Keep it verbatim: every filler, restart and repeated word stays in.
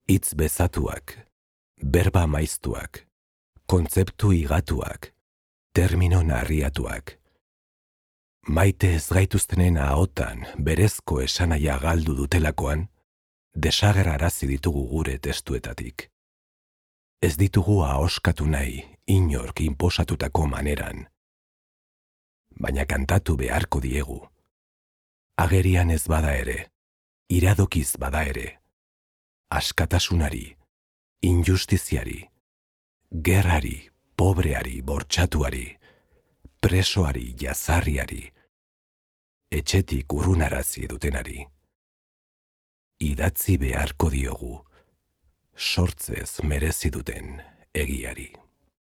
hitz bezatuak, berba maiztuak, kontzeptu igatuak, termino narriatuak. Maite ez gaituztenen ahotan berezko esanaia galdu dutelakoan, desagerrarazi ditugu gure testuetatik. Ez ditugu ahoskatu nahi inork inposatutako maneran, baina kantatu beharko diegu. Agerian ez bada ere, iradokiz bada ere, askatasunari, injustiziari, gerrari, pobreari, bortxatuari, presoari, jazarriari, etxetik urrunarazi dutenari. Idatzi beharko diogu, sortzez merezi duten egiari.